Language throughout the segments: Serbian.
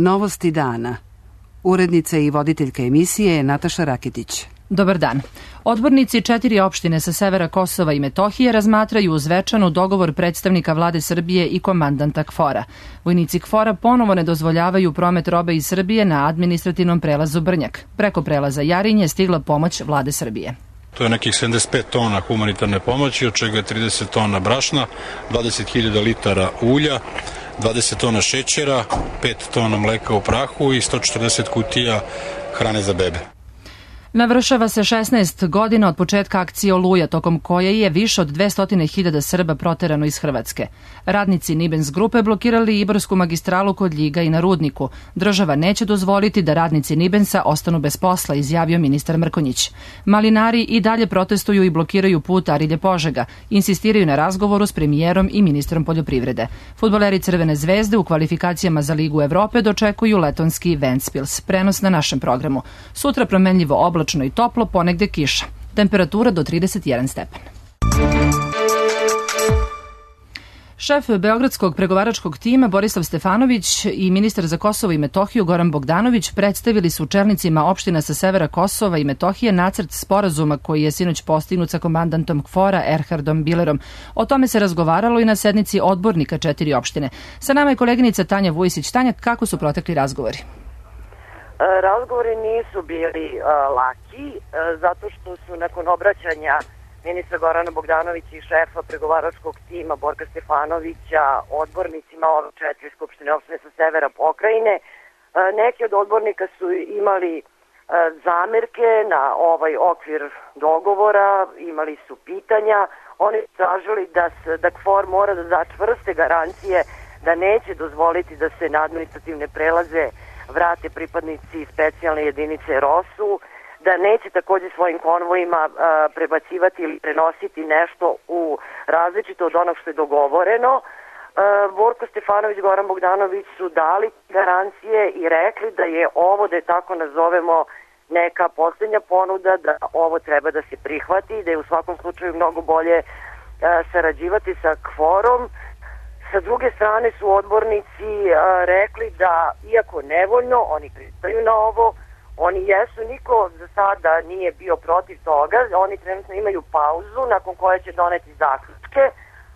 Novosti dana. Urednica i voditeljka emisije je Nataša Raketić. Dobar dan. Odbornici 4 opštine sa severa Kosova i Metohije razmatraju u Zvečanu dogovor predstavnika vlade Srbije i komandanta KFOR-a. Vojnici KFOR-a ponovo ne dozvoljavaju promet robe iz Srbije na administrativnom prelazu Brnjak. Preko prelaza Jarinje stigla pomoć vlade Srbije. To je nekih 75 tona humanitarne pomoći, od čega je 30 tona brašna, 20.000 litara ulja, 20 tona šećera, 5 tona mleka u prahu i 140 kutija hrane za bebe. Navršava se 16 godina od početka akcije Oluja, tokom koje je više od 200.000 Srba proterano iz Hrvatske. Radnici Nibens grupe blokirali Ibarsku magistralu kod Ljiga i na Rudniku. Država neće dozvoliti da radnici Nibensa ostanu bez posla, izjavio ministar Mrkonjić. Malinari i dalje protestuju i blokiraju put Arilje-Požega. Insistiraju na razgovoru s premijerom i ministrom poljoprivrede. Fudbaleri Crvene zvezde u kvalifikacijama za Ligu Evrope dočekuju letonski Ventspils. Prenos na našem programu. Sutra promenljivo oblačno i toplo, ponegde kiša. Temperatura do 31 stepen. Šef Beogradskog pregovaračkog tima Borislav Stefanović i ministar za Kosovo i Metohiju Goran Bogdanović predstavili su čelnicima opština sa severa Kosova i Metohije nacrt sporazuma koji je sinoć postignut sa komandantom KFOR-a Erhardom Bilerom. O tome se razgovaralo i na sednici odbornika 4 opštine. Sa nama je koleginica Tanja Vujisić. Tanja, kako su protekli razgovori? Razgovori nisu bili laki, zato što su nakon obraćanja ministra Gorana Bogdanovića i šefa pregovaračkog tima Borka Stefanovića odbornicima ove 4 skupštine opštine sa severa pokrajine, neki od odbornika su imali zamerke na ovaj okvir dogovora, imali su pitanja, oni su tražili da KFOR mora da da čvrste garancije da neće dozvoliti da se na administrativne prelaze vrate pripadnici specijalne jedinice ROSU, da neće takođe svojim konvojima prebacivati ili prenositi nešto u različito od onog što je dogovoreno. Borko Stefanović i Goran Bogdanović su dali garancije i rekli da je ovo, da je tako nazovemo, neka posljednja ponuda, da ovo treba da se prihvati, da je u svakom slučaju mnogo bolje sarađivati sa KFOR-om. Sa druge strane su odbornici rekli da, iako nevoljno, oni pristaju na ovo, oni jesu, niko za sada nije bio protiv toga, oni trenutno imaju pauzu nakon koje će doneti zaključke,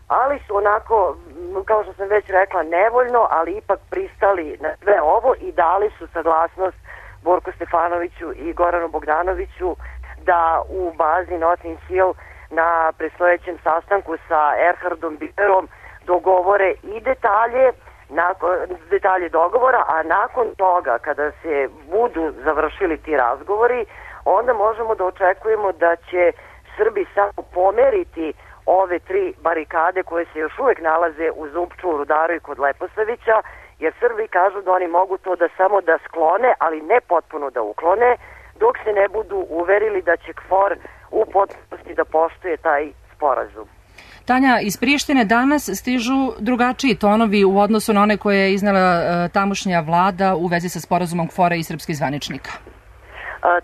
ali su onako, kao što sam već rekla, nevoljno, ali ipak pristali na sve ovo i dali su saglasnost Borku Stefanoviću i Goranu Bogdanoviću da u bazi Notting Hill na predstojećem sastanku sa Erhardom Bilerom dogovore i detalje dogovora, a nakon toga, kada se budu završili ti razgovori, onda možemo da očekujemo da će Srbi samo pomeriti ove 3 barikade koje se još uvek nalaze u Zupču, u Rudaru i kod Leposavića, jer Srbi kažu da oni mogu to da samo da sklone, ali ne potpuno da uklone, dok se ne budu uverili da će KFOR u potpunosti da poštuje taj sporazum. Tanja, iz Prištine danas stižu drugačiji tonovi u odnosu na one koje je iznela tamošnja vlada u vezi sa sporazumom KFOR-a i srpskih zvaničnika.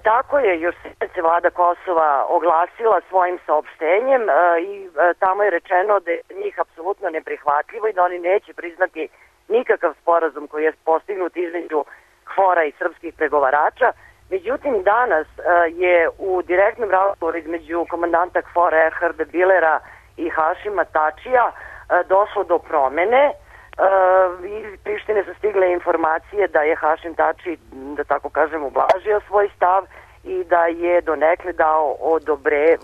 Tako je, još se vlada Kosova oglasila svojim saopštenjem i tamo je rečeno da je njih apsolutno neprihvatljivo i da oni neće priznati nikakav sporazum koji je postignut između KFOR-a i srpskih pregovarača. Međutim, danas je u direktnom razgovoru između komandanta KFOR-a Erharda Bilera i Hašima Tačija došlo do promene. Iz Prištine su stigle informacije da je Hašim Tači, da tako kažem, ublažio svoj stav i da je donekle dao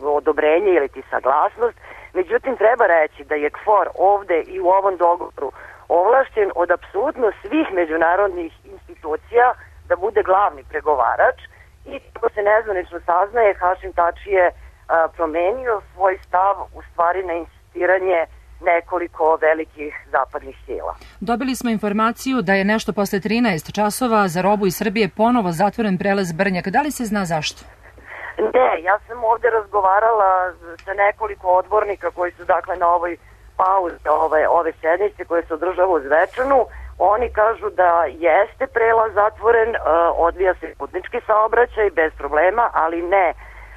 odobrenje ili ti saglasnost. Međutim, treba reći da je KFOR ovde i u ovom dogovoru ovlašćen od apsolutno svih međunarodnih institucija da bude glavni pregovarač i kako se nezvanično saznaje, Hašim Tači je promenio svoj stav u stvari na insistiranje nekoliko velikih zapadnih sila. Dobili smo informaciju da je nešto posle 13 časova za robu iz Srbije ponovo zatvoren prelaz Brnjak. Da li se zna zašto? Ne, ja sam ovde razgovarala sa nekoliko odbornika koji su dakle na ovoj pauzi ove sednice koje se održava u Zvečanu. Oni kažu da jeste prelaz zatvoren, odvija se putnički saobraćaj bez problema, ali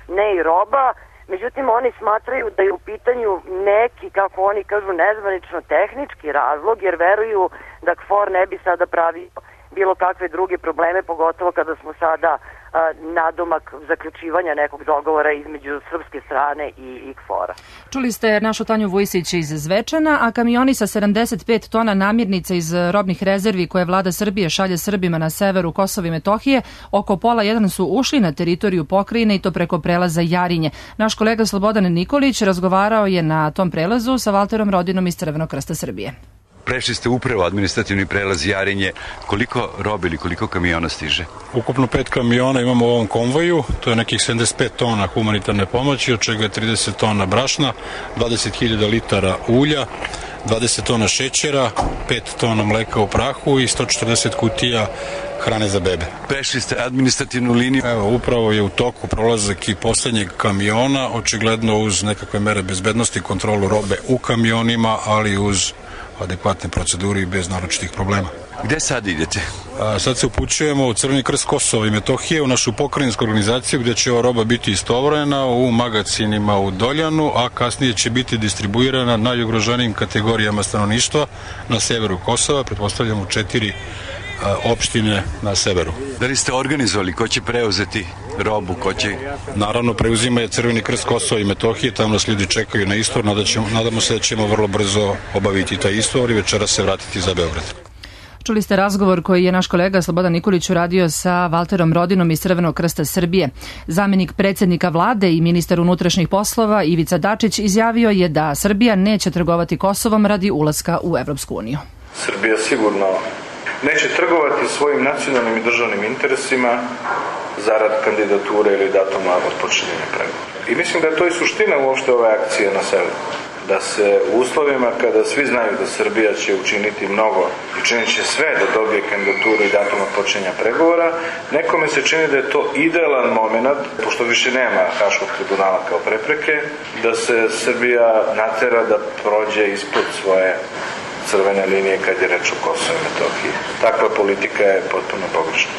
ne i roba. Međutim, oni smatraju da je u pitanju neki, kako oni kažu, nezvanično tehnički razlog, jer veruju da KFOR ne bi sada pravio bilo kakve druge probleme, pogotovo kada smo sada nadomak zaključivanja nekog dogovora između srpske strane i KFOR-a. Čuli ste našu Tanju Vujsić iz Zvečana, a kamioni sa 75 tona namirnica iz robnih rezervi koje vlada Srbije šalje Srbima na severu Kosova i Metohije, oko pola jedan su ušli na teritoriju pokrajine i to preko prelaza Jarinje. Naš kolega Slobodan Nikolić razgovarao je na tom prelazu sa Valterom Rodinom iz Crvenog krsta Srbije. Prešli ste upravo administrativni prelaz Jarinje. Koliko robe ili koliko kamiona stiže? Ukupno 5 kamiona imamo u ovom konvoju, to je nekih 75 tona humanitarne pomoći, od čega je 30 tona brašna, 20.000 litara ulja, 20 tona šećera, 5 tona mleka u prahu i 140 kutija hrane za bebe. Prešli ste administrativnu liniju. Evo, upravo je u toku prolazak i poslednjeg kamiona, očigledno uz nekakve mere bezbednosti, kontrolu robe u kamionima, ali uz adekvatne procedure i bez naročitih problema. Gde sad idete? Sad se upućujemo u Crveni krst Kosova i Metohije, u našu pokrajinsku organizaciju gde će ova roba biti istovremena u magacinima u Doljanu, a kasnije će biti distribuirana najugroženijim kategorijama stanovništva na severu Kosova, pretpostavljamo 4 opštine na severu. Da li ste organizovali ko će preuzeti robu, ko će... Naravno, preuzima je Crveni krst Kosova i Metohije, tamo nas ljudi čekaju na istor, nadamo se da ćemo vrlo brzo obaviti taj istor i večera se vratiti za Beograd. Čuli ste razgovor koji je naš kolega Slobodan Nikolić uradio sa Valterom Rodinom iz Crvenog krsta Srbije. Zamenik predsjednika vlade i ministar unutrašnjih poslova Ivica Dačić izjavio je da Srbija neće trgovati Kosovom radi ulaska u Evropsku uniju. Srbija sigurno neće trgovati svojim nacionalnim i državnim interesima zarad kandidature ili datuma otpočinjenja pregovora. I mislim da je to i suština uopšte ove akcije na severu. Da se u uslovima kada svi znaju da Srbija će učiniti mnogo i činit će sve da dobije kandidaturu i datum otpočinjenja pregovora, nekome se čini da je to idealan moment, pošto više nema Haškog tribunala kao prepreke, da se Srbija natera da prođe ispod svoje crvene linije kad je reč o Kosovu i Metohiji. Takva politika je potpuno pogrešna.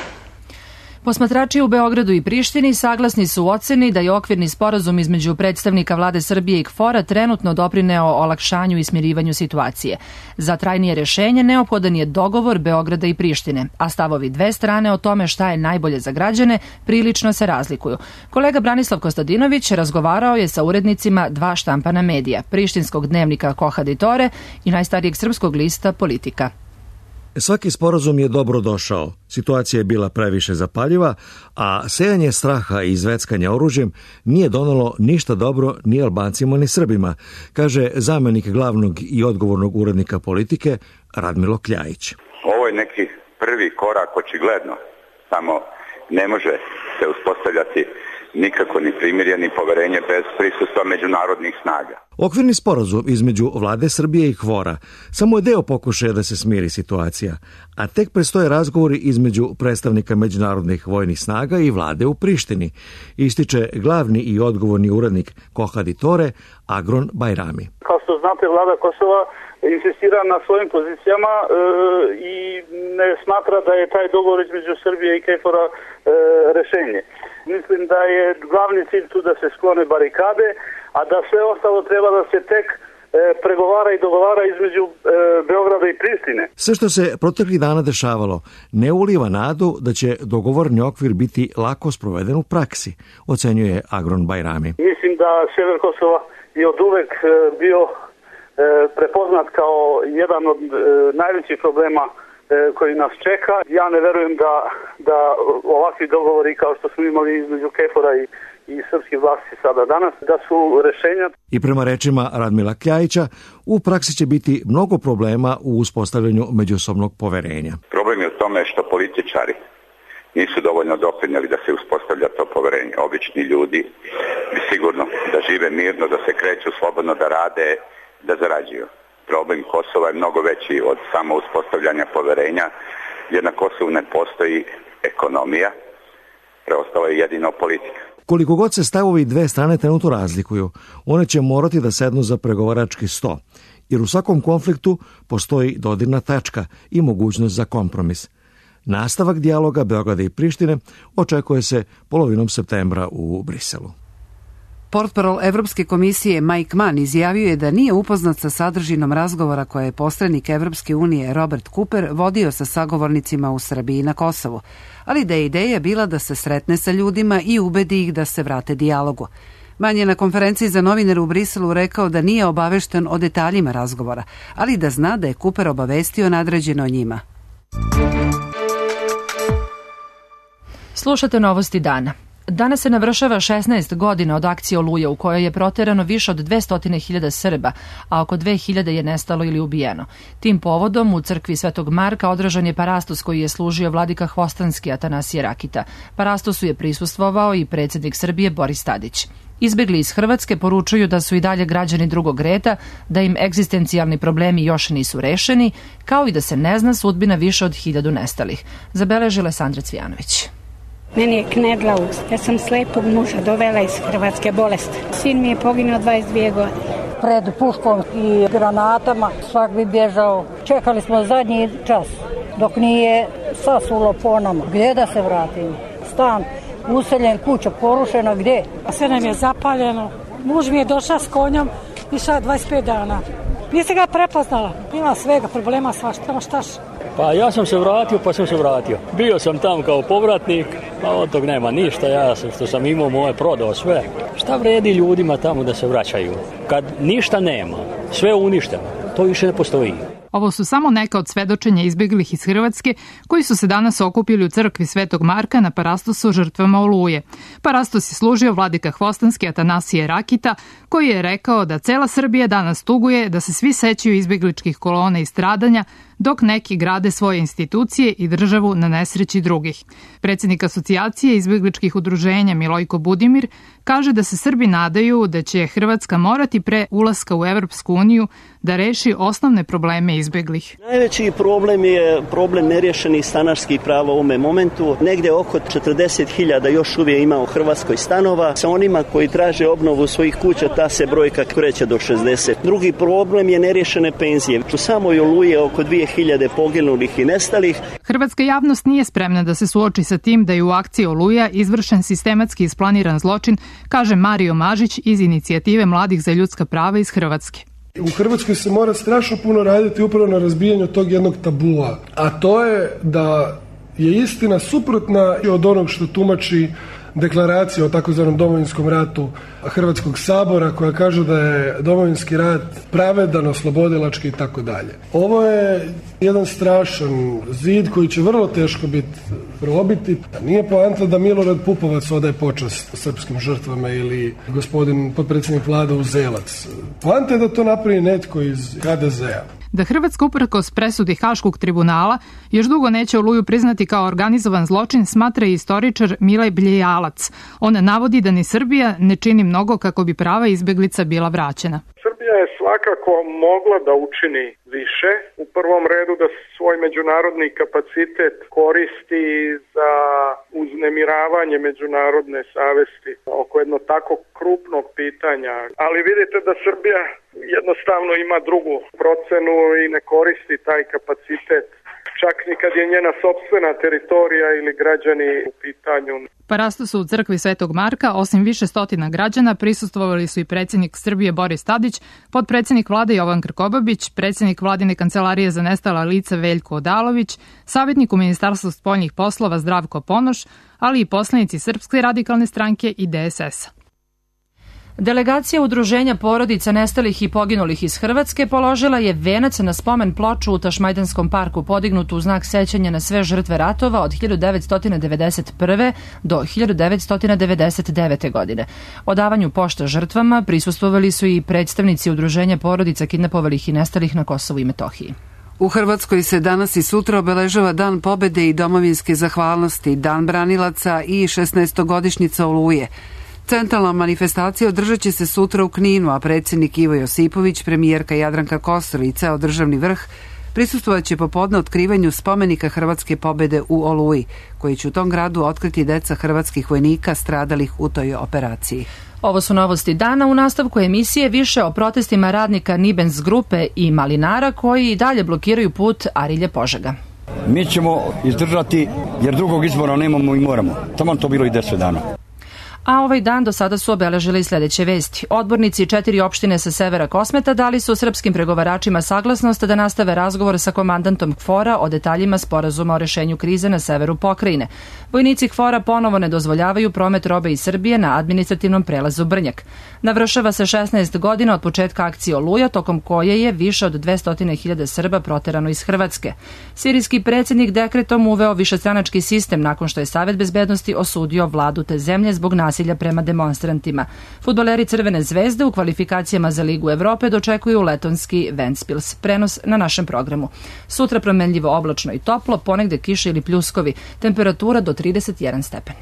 Posmatrači u Beogradu i Prištini saglasni su u oceni da je okvirni sporazum između predstavnika vlade Srbije i KFOR-a trenutno doprineo olakšanju i smirivanju situacije. Za trajnije rešenje neophodan je dogovor Beograda i Prištine, a stavovi dve strane o tome šta je najbolje za građane prilično se razlikuju. Kolega Branislav Kostadinović razgovarao je sa urednicima dva štampana medija, prištinskog dnevnika Koha Ditore i najstarijeg srpskog lista Politika. Svaki sporazum je dobro došao, situacija je bila previše zapaljiva, a sejanje straha i izveckanje oružjem nije donelo ništa dobro ni Albancima ni Srbima, kaže zamenik glavnog i odgovornog urednika Politike Radmilo Kljajić. Ovo je neki prvi korak očigledno, samo ne može se uspostavljati nikako ni primirje ni poverenje bez prisustva međunarodnih snaga. Okvirni sporazum između vlade Srbije i KFOR-a samo je deo pokušaja da se smiri situacija, a tek predstoje razgovori između predstavnika međunarodnih vojnih snaga i vlade u Prištini, ističe glavni i odgovorni urednik Koha Ditore Agron Bajrami. Kao što znate, vlada Kosova insistira na svojim pozicijama i ne smatra da je taj dogovor između Srbije i KFOR-a rešenje. Mislim da je glavni cilj tu da se sklone barikade, a da sve ostalo treba da se tek pregovara i dogovara između Beograda i Prištine. Sve što se proteklih dana dešavalo ne uliva nadu da će dogovorni okvir biti lako sproveden u praksi, ocenjuje Agron Bajrami. Mislim da sever Kosova je od uvek bio prepoznat kao jedan od najvećih problema koji nas čeka. Ja ne verujem da ovakvi dogovori kao što smo imali između KFOR-a i srpskih vlasti sada danas, da su rešenja. I prema rečima Radmila Kljajića, u praksi će biti mnogo problema u uspostavljanju međusobnog poverenja. Problem je u tome što političari nisu dovoljno doprinijeli da se uspostavlja to poverenje. Obični ljudi bi sigurno da žive mirno, da se kreću slobodno, da rade, da zarađuju. Problem Kosova je mnogo veći od samo uspostavljanja poverenja, jer na Kosovu ne postoji ekonomija, preostala je jedino politika. Koliko god se stavovi dve strane trenutno razlikuju, one će morati da sednu za pregovarački sto, jer u svakom konfliktu postoji dodirna tačka i mogućnost za kompromis. Nastavak dijaloga Beograda i Prištine očekuje se polovinom septembra u Briselu. Portparol Evropske komisije Mike Mann izjavio je da nije upoznat sa sadržinom razgovora koje je posrednik Evropske unije Robert Cooper vodio sa sagovornicima u Srbiji i na Kosovu, ali da je ideja bila da se sretne sa ljudima i ubedi ih da se vrate dijalogu. Mann je na konferenciji za novinare u Briselu rekao da nije obavešten o detaljima razgovora, ali da zna da je Cooper obavestio nadređeno njima. Slušate novosti dana. Danas se navršava 16 godina od akcije Oluja u kojoj je proterano više od 200.000 Srba, a oko 2.000 je nestalo ili ubijeno. Tim povodom u crkvi Svetog Marka održan je parastos koji je služio vladika Hvostanski Atanasije Rakita. Parastosu je prisustvovao i predsjednik Srbije Boris Tadić. Izbegli iz Hrvatske poručuju da su i dalje građani drugog reda, da im egzistencijalni problemi još nisu rešeni, kao i da se ne zna sudbina više od 1000 nestalih. Zabeležila Sandra Cvijanović. Meni je knedla usta. Ja sam slepog muža dovela iz Hrvatske bolesti. Sin mi je poginuo 22 godine. Pred puškom i granatama svak bi bježao. Čekali smo zadnji čas dok nije sasulo po nama. Gdje da se vratimo? Stan useljen, kuća porušena, gdje? Sve nam je zapaljeno. Muž mi je došao s konjom, išao 25 dana. Nisi ga prepoznala. Ima svega, problema svašta, štaš. Pa ja sam se vratio. Bio sam tamo kao povratnik, a od tog nema ništa. Ja sam, što sam imao moje, prodao sve. Šta vredi ljudima tamo da se vraćaju? Kad ništa nema, sve uništeno, to više ne postoji. Ovo su samo neka od svedočenja izbjeglih iz Hrvatske koji su se danas okupili u crkvi Svetog Marka na parastosu žrtvama Oluje. Parastos je služio vladika Hvostanski Atanasije Rakita, koji je rekao da cela Srbija danas tuguje da se svi sećaju izbjegličkih kolona i stradanja, dok neki grade svoje institucije i državu na nesreći drugih. Predsjednik asocijacije izbjegličkih udruženja Milojko Budimir kaže da se Srbi nadaju da će Hrvatska morati pre ulaska u Evropsku uniju da reši osnovne probleme izbjeglih. Najveći problem je problem nerješenih stanarskih prava u ovome momentu. Negde oko 40.000 još uvijek ima u Hrvatskoj stanova. Sa onima koji traže obnovu svojih kuća, ta se brojka kreće do 60. Drugi problem je nerješene penzije. U samoj Oluji je oko 2.000 poginulih i nestalih. Hrvatska javnost nije spremna da se suoči sa tim da je u akciji Oluja izvršen sistematski isplaniran zločin, kaže Mario Mažić iz inicijative Mladih za ljudska prava iz Hrvatske. U Hrvatskoj se mora strašno puno raditi upravo na razbijanju tog jednog tabua, a to je da je istina suprotna od onog što tumači deklaracija o takozvanom Domovinskom ratu Hrvatskog sabora, koja kaže da je Domovinski rat pravedan, oslobodilački i tako dalje. Ovo je jedan strašan zid koji će vrlo teško biti probiti. Nije poanta da Milorad Pupovac odaje počast srpskim žrtvama ili gospodin potpredsjednik vlade Uzelac. Poanta je da to napravi netko iz HDZ-a. Da Hrvatska uprkos presudi Haškog tribunala još dugo neće Oluju priznati kao organizovan zločin, smatra i istoričar Milaj Bljejalac. On navodi da ni Srbija ne čini mnogo kako bi prava izbjeglica bila vraćena. Srbija je svakako mogla da učini više. U prvom redu da svoj međunarodni kapacitet koristi za uznemiravanje međunarodne savesti oko jedno tako krupnog pitanja. Ali vidite da Srbija jednostavno ima drugu procenu i ne koristi taj kapacitet, čak ni kad je njena sopstvena teritorija ili građani u pitanju. Parastosu u crkvi Svetog Marka, osim više stotina građana, prisustvovali su i predsjednik Srbije Boris Tadić, potpredsjednik vlade Jovan Krkobabić, predsjednik vladine kancelarije za nestala lica Veljko Odalović, savjetnik u Ministarstvu spoljnih poslova Zdravko Ponoš, ali i poslanici Srpske radikalne stranke i DSS-a. Delegacija Udruženja porodica nestalih i poginulih iz Hrvatske položila je venac na spomen ploču u Tašmajdanskom parku podignutu u znak sećanja na sve žrtve ratova od 1991. do 1999. godine. Odavanju pošta žrtvama prisustvovali su i predstavnici Udruženja porodica kidnapovalih i nestalih na Kosovu i Metohiji. U Hrvatskoj se danas i sutra obeležava Dan pobede i domovinske zahvalnosti, Dan branilaca i 16-godišnjica Oluje. Centralna manifestacija održat će se sutra u Kninu, a predsjednik Ivo Josipović, premijerka Jadranka Kosor i ceo državni vrh prisustvovat će popodne otkrivanju spomenika Hrvatske pobede u Oluji, koji će u tom gradu otkriti deca hrvatskih vojnika stradalih u toj operaciji. Ovo su novosti dana. U nastavku emisije više o protestima radnika Nibens grupe i malinara koji i dalje blokiraju put Arilje-Požega. Mi ćemo izdržati jer drugog izbora nemamo i moramo. Tamo to bilo i 10 dana. A ovaj dan do sada su obeležili sledeće vesti. Odbornici 4 opštine sa severa Kosmeta dali su srpskim pregovaračima saglasnost da nastave razgovor sa komandantom KFOR-a o detaljima sporazuma o rešenju krize na severu pokrajine. Vojnici KFOR-a ponovo ne dozvoljavaju promet robe iz Srbije na administrativnom prelazu Brnjak. Navršava se 16 godina od početka akcije Oluja, tokom koje je više od 200.000 Srba proterano iz Hrvatske. Sirijski predsjednik dekretom uveo višestranački sistem nakon što je Savet bezbednosti osudio vladu te zemlje zbog nasilja prema demonstrantima. Fudbaleri Crvene zvezde u kvalifikacijama za Ligu Evrope dočekuju letonski Ventspils. Prenos na našem programu. Sutra promenljivo oblačno i toplo, ponegde kiše ili pljuskovi. Temperatura do 31 stepen.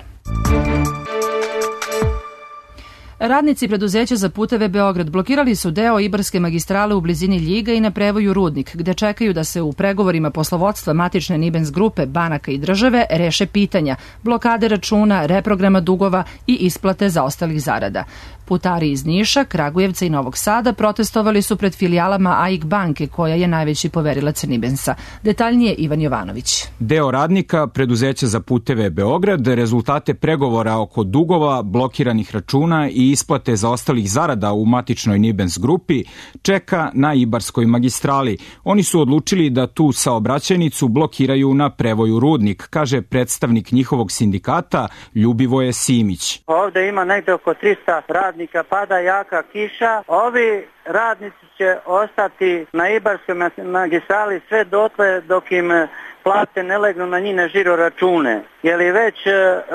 Radnici preduzeća za puteve Beograd blokirali su deo Ibarske magistrale u blizini Ljiga i na prevoju Rudnik, gde čekaju da se u pregovorima poslovodstva matične Nibens grupe, banaka i države reše pitanja, blokade računa, reprograma dugova i isplate zaostalih zarada. Putari iz Niša, Kragujevca i Novog Sada protestovali su pred filijalama AIK banke, koja je najveći poverilac Nibensa. Detaljnije Ivan Jovanović. Deo radnika preduzeća za puteve Beograd rezultate pregovora oko dugova, blokiranih računa i isplate zaostalih zarada u matičnoj Nibens grupi čeka na Ibarskoj magistrali. Oni su odlučili da tu saobraćajnicu blokiraju na prevoju Rudnik, kaže predstavnik njihovog sindikata Ljubivoje Simić. Ovde ima negde oko 300 radnika, pada jaka kiša. Ovi radnici će ostati na Ibarskoj magistrali sve dotle dok im plate ne legnu na njine žiro račune, jer već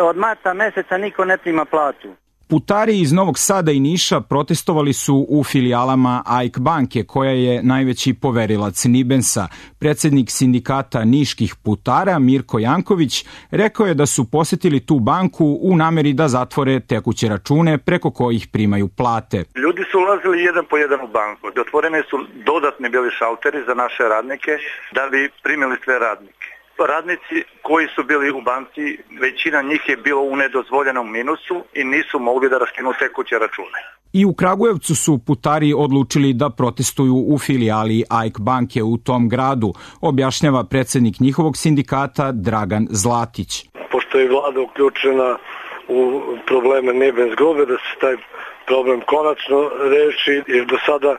od marta meseca niko ne prima platu. Putari iz Novog Sada i Niša protestovali su u filijalama AIK banke, koja je najveći poverilac Nibensa. Predsjednik sindikata niških putara Mirko Janković rekao je da su posetili tu banku u nameri da zatvore tekuće račune preko kojih primaju plate. Ljudi su ulazili jedan po jedan u banku. Otvorene su dodatni bili šalteri za naše radnike da bi primili sve radnike. Radnici koji su bili u banci, većina njih je bilo u nedozvoljenom minusu i nisu mogli da raskinu tekuće račune. I u Kragujevcu su putari odlučili da protestuju u filijali AIK banke u tom gradu, objašnjava predsjednik njihovog sindikata Dragan Zlatić. Pošto je vlada uključena u probleme Nibens grupe, da se taj problem konačno reši, jer do sada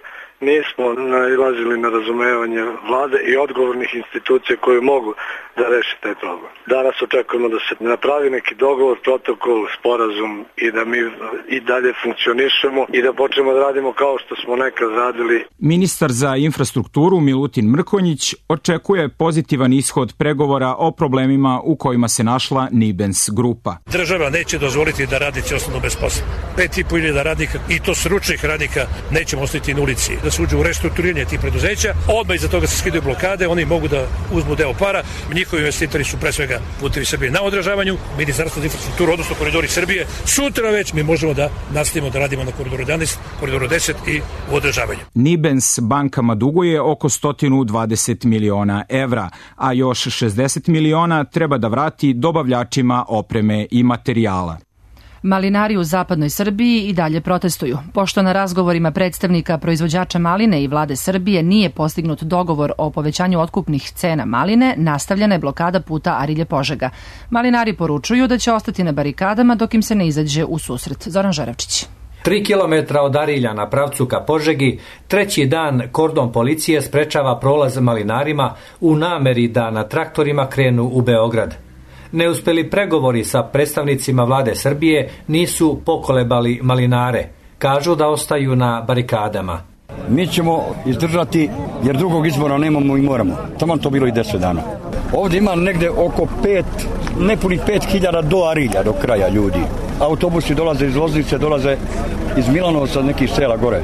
nismo nailazili na razumevanje vlade i odgovornih institucija koje mogu da reše taj problem. Danas očekujemo da se napravi neki dogovor, protokol, sporazum i da mi i dalje funkcionišemo i da počnemo da radimo kao što smo nekad radili. Ministar za infrastrukturu Milutin Mrkonjić očekuje pozitivan ishod pregovora o problemima u kojima se našla Nibens grupa. Država neće dozvoliti da radnici ostanu bez posla. 5.500 radnika, i to stručnih radnika, nećemo ostati na ulici. Da se uđe u restrukturiranje tih preduzeća, odmah iza toga se skidaju blokade, oni mogu da uzmu deo para. Njihovi investitori su pre svega Putevi Srbije na održavanju, Ministarstvo za infrastrukturu, odnosno Koridori Srbije. Sutra već mi možemo da nastavimo da radimo na Koridoru 11, Koridoru 10 i u održavanju. Nibens bankama duguje oko 120 miliona evra, a još 60 miliona treba da vrati dobavljačima opreme i materijala. Malinari u zapadnoj Srbiji i dalje protestuju. Pošto na razgovorima predstavnika proizvođača maline i vlade Srbije nije postignut dogovor o povećanju otkupnih cena maline, nastavljena je blokada puta Arilje-Požega. Malinari poručuju da će ostati na barikadama dok im se ne izađe u susret. Zoran Žarevčić. 3 kilometra od Arilja na pravcu ka Požegi, treći dan kordon policije sprečava prolaz malinarima u nameri da na traktorima krenu u Beograd. Neuspeli pregovori sa predstavnicima vlade Srbije nisu pokolebali malinare. Kažu da ostaju na barikadama. Mi ćemo izdržati jer drugog izbora nemamo i moramo. Tamo to bilo i 10 dana. Ovdje ima negde oko nepunih 5.000 do Arilja, do kraja ljudi. Autobusi dolaze iz Loznice, dolaze iz Milanovca, nekih sela gore.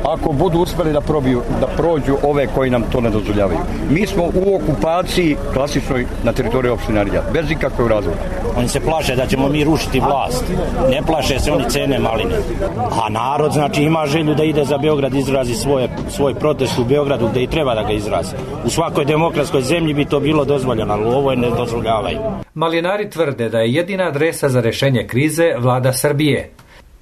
Ako budu uspeli da prođu ove koji nam to ne dozvoljavaju. Mi smo u okupaciji klasičnoj na teritoriji opštine Arilja, bez ikakvog razloga. Oni se plaše da ćemo mi rušiti vlast. Ne plaše se oni cene maline. A narod znači ima želju da ide za Beograd, izrazi svoj protest u Beogradu gde i treba da ga izrazi. U svakoj demokratskoj zemlji bi to bilo dozvoljeno, ali u ovoj ne dozvoljavaju. Malinari tvrde da je jedina adresa za rešenje krize vlada Srbije.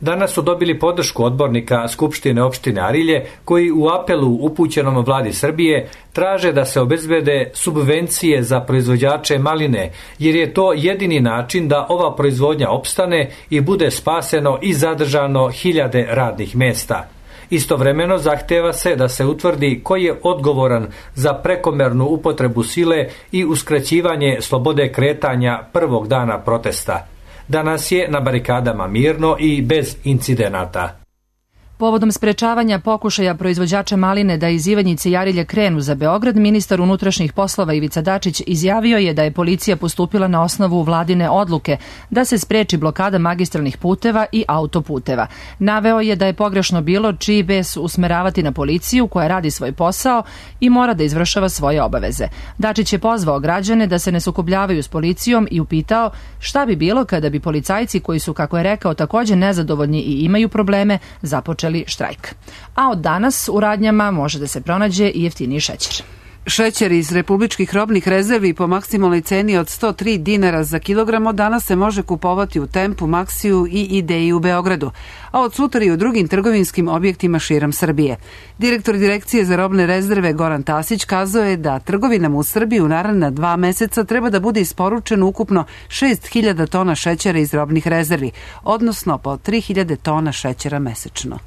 Danas su dobili podršku odbornika Skupštine opštine Arilje, koji u apelu upućenom vladi Srbije traže da se obezbede subvencije za proizvođače maline, jer je to jedini način da ova proizvodnja opstane i bude spaseno i zadržano hiljade radnih mesta. Istovremeno zahteva se da se utvrdi ko je odgovoran za prekomernu upotrebu sile i uskraćivanje slobode kretanja prvog dana protesta. Danas je na barikadama mirno i bez incidenata. Povodom sprečavanja pokušaja proizvođača maline da iz Ivanjice i Arilja krenu za Beograd, ministar unutrašnjih poslova Ivica Dačić izjavio je da je policija postupila na osnovu vladine odluke da se spreči blokada magistralnih puteva i autoputeva. Naveo je da je pogrešno bilo čiji bes usmeravati na policiju koja radi svoj posao i mora da izvršava svoje obaveze. Dačić je pozvao građane da se ne sukobljavaju s policijom i upitao šta bi bilo kada bi policajci koji su, kako je rekao, takođe nezadovoljni i imaju probleme, započeli štrajk. A od danas u radnjama može da se pronađe i jeftiniji šećer. Šećer iz republičkih robnih rezervi po maksimalnoj ceni od 103 dinara za kilogram od danas se može kupovati u Tempu, Maksiju i Ideji u Beogradu, a od sutra i u drugim trgovinskim objektima širom Srbije. Direktor Direkcije za robne rezerve Goran Tasić kazao je da trgovinama u Srbiji u naredna 2 meseca treba da bude isporučeno ukupno 6.000 tona šećera iz robnih rezervi, odnosno po 3.000 tona šećera mesečno.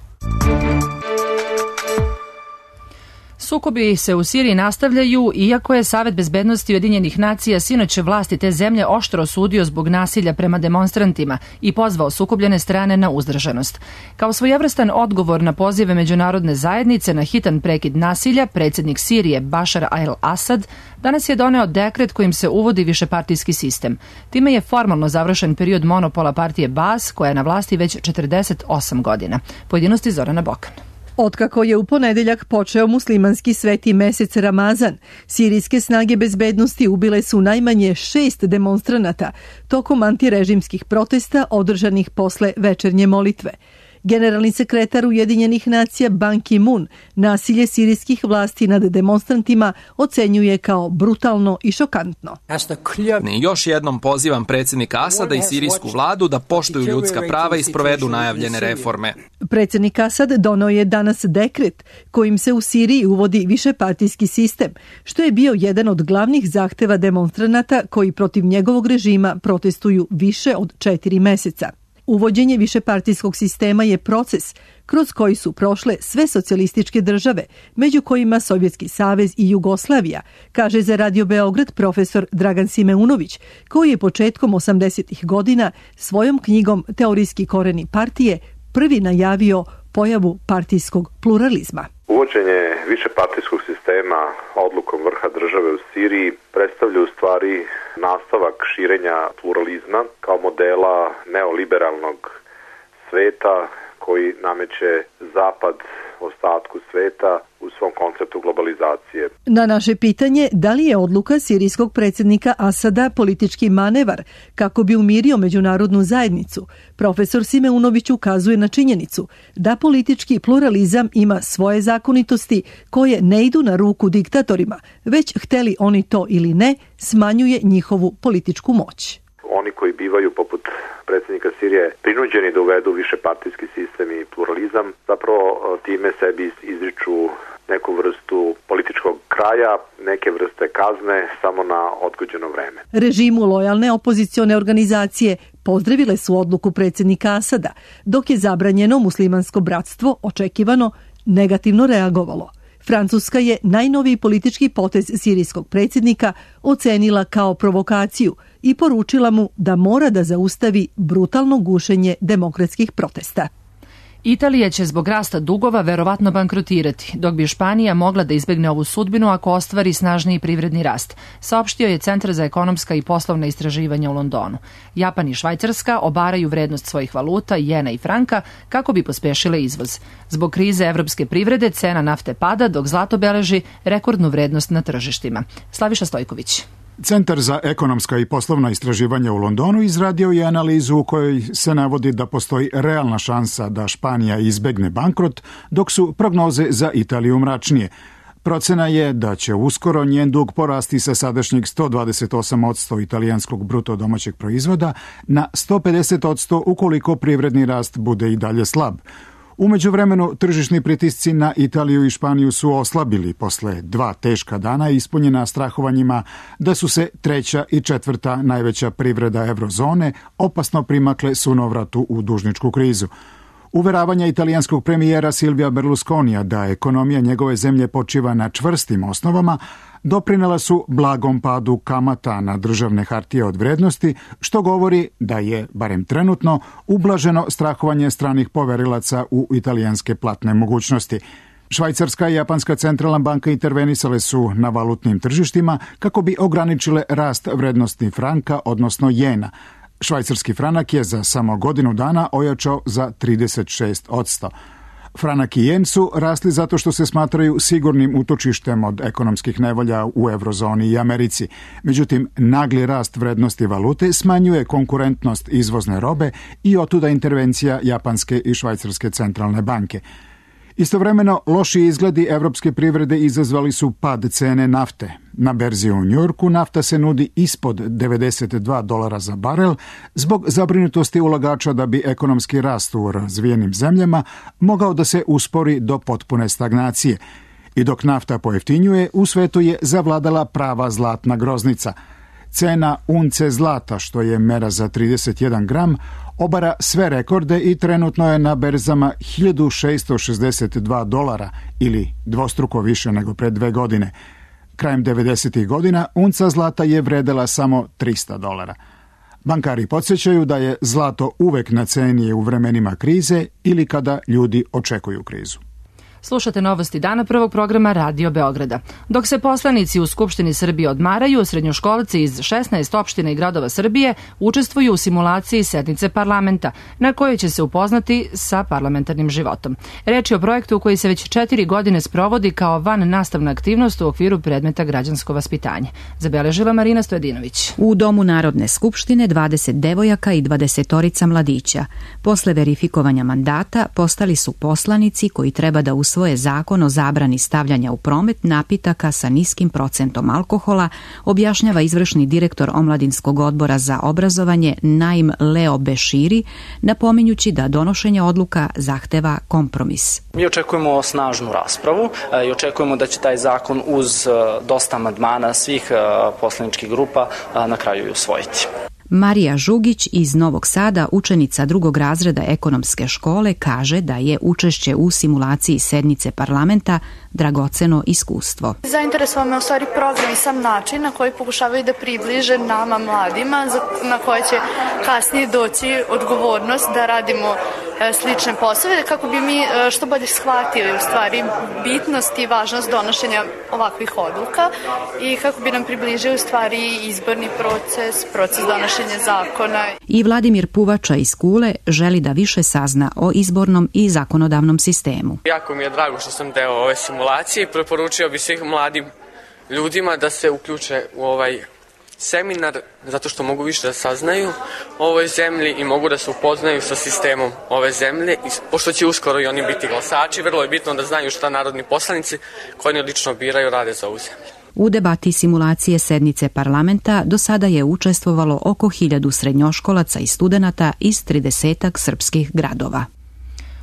Sukobi se u Siriji nastavljaju, iako je Savet bezbednosti Ujedinjenih nacija sinoć vlasti te zemlje oštro osudio zbog nasilja prema demonstrantima i pozvao sukobljene strane na uzdržanost. Kao svojevrstan odgovor na pozive međunarodne zajednice na hitan prekid nasilja, predsjednik Sirije Bašar al-Asad danas je doneo dekret kojim se uvodi višepartijski sistem. Time je formalno završen period monopola partije Baas, koja je na vlasti već 48 godina. Pojedinosti Zorana Bokan. Otkako je u ponedeljak počeo muslimanski sveti mesec Ramazan, sirijske snage bezbednosti ubile su najmanje 6 demonstranata tokom antirežimskih protesta održanih posle večernje molitve. Generalni sekretar Ujedinjenih nacija Ban Ki-moon nasilje sirijskih vlasti nad demonstrantima ocenjuje kao brutalno i šokantno. Još jednom pozivam predsjednika Asada i sirijsku vladu da poštuju ljudska prava i sprovedu najavljene reforme. Predsjednik Asad doneo je danas dekret kojim se u Siriji uvodi višepartijski sistem, što je bio jedan od glavnih zahteva demonstranata koji protiv njegovog režima protestuju više od 4 meseca. Uvođenje višepartijskog sistema je proces kroz koji su prošle sve socijalističke države, među kojima Sovjetski savez i Jugoslavija, kaže za Radio Beograd profesor Dragan Simeunović, koji je početkom 80. godina svojom knjigom Teorijski koreni partije prvi najavio pojavu partijskog pluralizma. Uvođenje višepartijskog sistema odlukom vrha države u Siriji predstavlja u stvari nastavak širenja pluralizma kao modela neoliberalnog sveta koji nameće Zapad ostatku sveta u svom konceptu globalizacije. Na naše pitanje da li je odluka sirijskog predsjednika Asada politički manevar kako bi umirio međunarodnu zajednicu, profesor Simeunović ukazuje na činjenicu da politički pluralizam ima svoje zakonitosti koje ne idu na ruku diktatorima, već hteli oni to ili ne, smanjuje njihovu političku moć. Oni koji bivaju poput predsjednika Sirije prinuđeni da uvedu višepartijski sistem i pluralizam, zapravo time sebi izriču neku vrstu političkog kraja, neke vrste kazne samo na odgođeno vreme. Režimu lojalne opozicione organizacije pozdravile su odluku predsjednika Asada, dok je zabranjeno muslimansko bratstvo očekivano negativno reagovalo. Francuska je najnoviji politički potez sirijskog predsjednika ocenila kao provokaciju i poručila mu da mora da zaustavi brutalno gušenje demokratskih protesta. Italija će zbog rasta dugova verovatno bankrotirati, dok bi Španija mogla da izbegne ovu sudbinu ako ostvari snažniji privredni rast, saopštio je Centar za ekonomska i poslovna istraživanja u Londonu. Japan i Švajcarska obaraju vrednost svojih valuta, jena i franka, kako bi pospešile izvoz. Zbog krize evropske privrede cena nafte pada, dok zlato beleži rekordnu vrednost na tržištima. Slaviša Stojković. Centar za ekonomska i poslovna istraživanja u Londonu izradio je analizu u kojoj se navodi da postoji realna šansa da Španija izbegne bankrot, dok su prognoze za Italiju mračnije. Procena je da će uskoro njen dug porasti sa sadašnjeg 128% italijanskog bruto domaćeg proizvoda na 150% ukoliko privredni rast bude i dalje slab. U međuvremenu, tržišni pritisci na Italiju i Španiju su oslabili posle 2 teška dana ispunjena strahovanjima da su se 3. i 4. najveća privreda eurozone opasno primakle sunovratu u dužničku krizu. Uveravanja italijanskog premijera Silvija Berlusconija da ekonomija njegove zemlje počiva na čvrstim osnovama doprinela su blagom padu kamata na državne hartije od vrednosti, što govori da je, barem trenutno, ublaženo strahovanje stranih poverilaca u italijanske platne mogućnosti. Švajcarska i Japanska centralna banka intervenisale su na valutnim tržištima kako bi ograničile rast vrednosti franka, odnosno jena. Švajcarski franak je za samo godinu dana ojačao za 36%. Franak i jen su rasli zato što se smatraju sigurnim utočištem od ekonomskih nevolja u eurozoni i Americi. Međutim, nagli rast vrednosti valute smanjuje konkurentnost izvozne robe i otuda intervencija Japanske i Švajcarske centralne banke. Istovremeno, loši izgledi evropske privrede izazvali su pad cene nafte. Na berzi u Njujorku nafta se nudi ispod $92 za barel zbog zabrinutosti ulagača da bi ekonomski rast u razvijenim zemljama mogao da se uspori do potpune stagnacije. I dok nafta pojeftinjuje, u svetu je zavladala prava zlatna groznica. Cena unce zlata, što je mera za 31 gram, obara sve rekorde i trenutno je na berzama $1.662 ili dvostruko više nego pred 2 godine. Krajem 90. godina unca zlata je vredela samo $300. Bankari podsjećaju da je zlato uvek na ceni u vremenima krize ili kada ljudi očekuju krizu. Slušate novosti dana prvog programa Radio Beograda. Dok se poslanici u Skupštini Srbije odmaraju, srednjoškolci iz 16 opština i gradova Srbije učestvuju u simulaciji sednice parlamenta, na kojoj će se upoznati sa parlamentarnim životom. Reč je o projektu koji se već 4 godine sprovodi kao van nastavna aktivnost u okviru predmeta građansko vaspitanje. Zabeležila Marina Stojadinović. U Domu Narodne skupštine 20 devojaka i 20 mladića. Posle verifikovanja mandata postali su poslanici koji treba da usvoje zakon o zabrani stavljanja u promet napitaka sa niskim procentom alkohola, objašnjava izvršni direktor Omladinskog odbora za obrazovanje Naim Leo Beširi, napominjući da donošenje odluka zahteva kompromis. Mi očekujemo snažnu raspravu i očekujemo da će taj zakon uz dosta amandmana svih poslaničkih grupa na kraju i usvojiti. Marija Žugić iz Novog Sada, učenica 2. razreda ekonomske škole, kaže da je učešće u simulaciji sednice parlamenta dragoceno iskustvo. Zainteresovao me u stvari program i sam način na koji pokušavaju da približe nama mladima, na koje će kasnije doći odgovornost da radimo slične poslove, kako bi mi što bolje shvatili u stvari bitnost i važnost donošenja ovakvih odluka i kako bi nam približili u stvari izborni proces donošenja zakona. I Vladimir Puvača iz Kule želi da više sazna o izbornom i zakonodavnom sistemu. Jako mi je drago što sam deo ove simulacije i preporučio bi svih mladim ljudima da se uključe u ovaj seminar, zato što mogu više da saznaju o ovoj zemlji i mogu da se upoznaju sa sistemom ove zemlje. I pošto će uskoro i oni biti glasači, vrlo je bitno da znaju šta narodni poslanici koji oni lično biraju rade za ovu zemlju. U debati simulacije sednice parlamenta do sada je učestvovalo oko 1000 srednjoškolaca i studenata iz 30 srpskih gradova.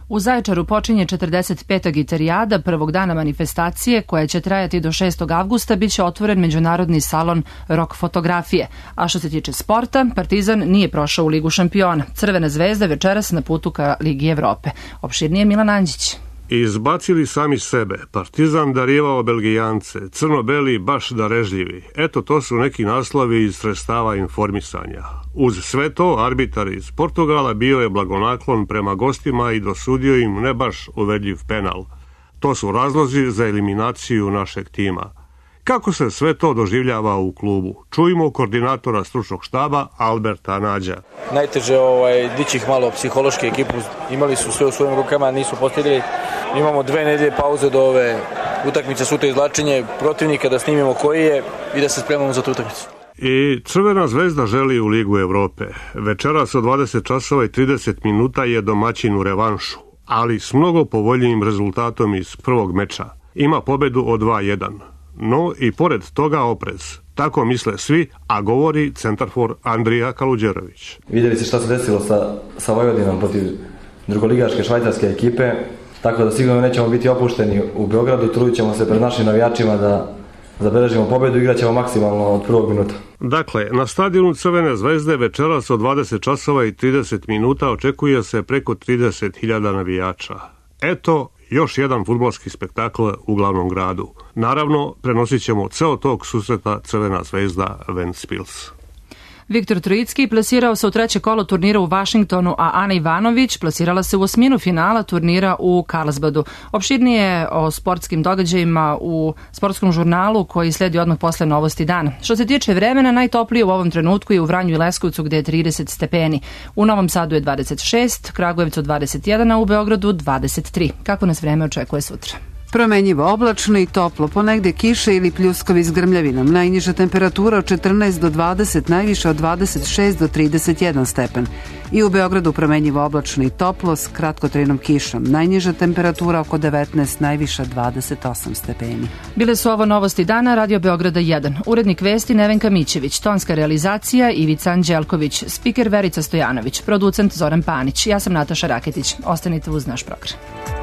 U Zaječaru počinje 45. gitarijada, prvog dana manifestacije koja će trajati do 6. avgusta, biće otvoren međunarodni salon rock fotografije. A što se tiče sporta, Partizan nije prošao u Ligu šampiona. Crvena zvezda večeras na putu ka Ligi Evrope. Opširnije Milan Anđić. Izbacili sami sebe, Partizan darivao Belgijance, crno-beli baš darežljivi. Eto, to su neki naslovi iz sredstava informisanja. Uz sve to, arbitar iz Portugala bio je blagonaklon prema gostima i dosudio im ne baš uverljiv penal. To su razlozi za eliminaciju našeg tima. Kako se sve to doživljava u klubu? Čujmo koordinatora stručnog štaba Alberta Nađa. Najteže dići ih malo psihološki, ekipu imali su sve u svojim rukama, nisu postigli. Imamo 2 nedelje pauze do ove utakmice, sutra izvlačenje protivnika, da snimimo koji je i da se spremamo za tu utakmicu. I Crvena zvezda želi u Ligu Evrope. Večeras od 20 časova i 30 minuta je domaćin u revanšu, ali s mnogo povoljnijim rezultatom iz prvog meča. ima pobedu od 2-1. No i pored toga oprez. Tako misle svi, a govori centarfor Andrija Kaluđerović. Vidjeli ste šta se desilo sa Vojvodinom protiv drugoligaške švajcarske ekipe, tako da sigurno nećemo biti opušteni u Beogradu, trudit ćemo se pred našim navijačima da zabeležimo pobedu i igrat ćemo maksimalno od prvog minuta. Dakle, na stadionu Crvene zvezde večeras od 20 časova i 30 minuta očekuje se preko 30.000 navijača. Eto, još jedan fudbalski spektakl u glavnom gradu. Naravno, prenosit ćemo ceo tog susreta Crvena zvezda Ventspils. Viktor Trojicki plasirao se u treće kolo turnira u Vašingtonu, a Ana Ivanović plasirala se u osminu finala turnira u Karlsbadu. Opširnije o sportskim događajima u sportskom žurnalu koji sledi odmah posle Novosti dana. Što se tiče vremena, najtoplije u ovom trenutku je u Vranju i Leskovcu gde je 30 stepeni. U Novom Sadu je 26, Kragujevcu 21, a u Beogradu 23. Kako nas vreme očekuje sutra? Promenjivo oblačno i toplo, ponegde kiše ili pljuskovi s grmljavinom. Najniža temperatura od 14 do 20, najviša od 26 do 31 stepen. I u Beogradu promenjivo oblačno i toplo s kratkotrajnom kišom. Najniža temperatura oko 19, najviša 28 stepeni. Bile su ovo Novosti dana, Radio Beograda 1. Urednik vesti Nevenka Mićević, tonska realizacija Ivica Anđelković, spiker Verica Stojanović, producent Zoran Panić. Ja sam Nataša Raketić. Ostanite uz naš program.